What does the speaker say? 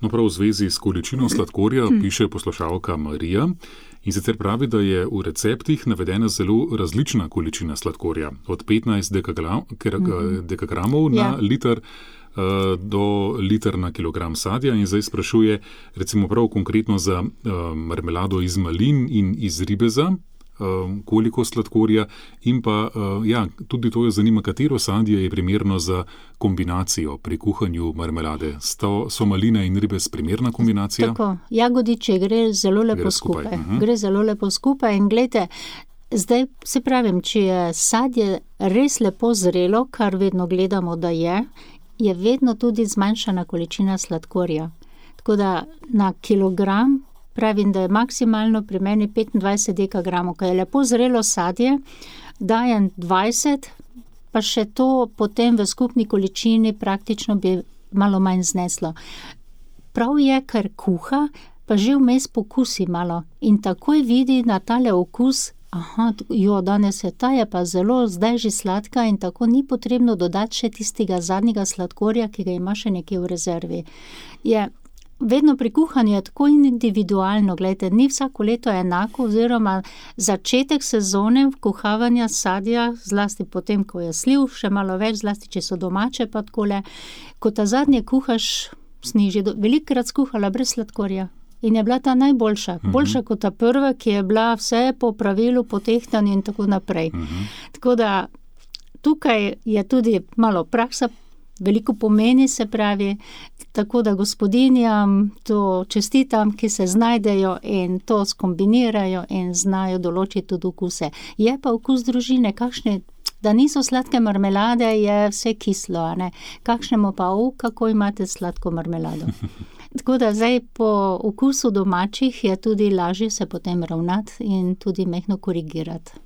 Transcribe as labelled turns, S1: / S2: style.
S1: No, prav v zvezi s količino sladkorja piše poslušalka Marija in sicer pravi, da je v receptih navedena zelo različna količina sladkorja, od 15 dekagramov na liter do liter na kilogram sadja in zdaj sprašuje recimo prav konkretno za marmelado iz malin in iz ribeza, koliko sladkorja in pa, tudi to jo zanima, katero sadje je primerno za kombinacijo pri kuhanju marmelade. So maline in ribez primerna kombinacija?
S2: Tako, jagodiče gre zelo lepo skupaj. Gre zelo lepo skupaj in glejte, zdaj se pravim, če je sadje res lepo zrelo, kar vedno gledamo, da je vedno tudi zmanjšana količina sladkorja. Tako da na kilogram pravim, da je maksimalno pri meni 25 dekagramov, ko je lepo zrelo sadje, dajem 20, pa še to potem v skupni količini praktično bi malo manj zneslo. Prav je, ker kuha, pa že vmes pokusi malo in takoj vidi na tale okus, danes ta je pa zelo zdaj že sladka in tako ni potrebno dodati še tistega zadnjega sladkorja, ki ga ima še nekje v rezervi. Vedno pri kuhanju je tako individualno, gledajte, ni vsako leto enako, oziroma začetek sezone kuhavanja sadja, zlasti potem, ko je sliv, še malo več, zlasti, če so domače pa takole, ko ta zadnje kuhaš, sniži, velikokrat skuhala brez sladkorja in je bila ta najboljša, boljša kot ta prva, ki je bila vse po pravilu, potehtanju in tako naprej. Tako da tukaj je tudi malo praksa, veliko pomeni, se pravi, tako da gospodinjam to čestitam, ki se znajdejo in to skombinirajo in znajo določiti tudi okuse. Je pa okus družine, kakšne, da niso sladke marmelade, je vse kislo, a ne? Kakšnemu pa, kako imate sladko marmelado. Tako da zdaj po okusu domačih je tudi lažje se potem ravnati in tudi majhno korigirati.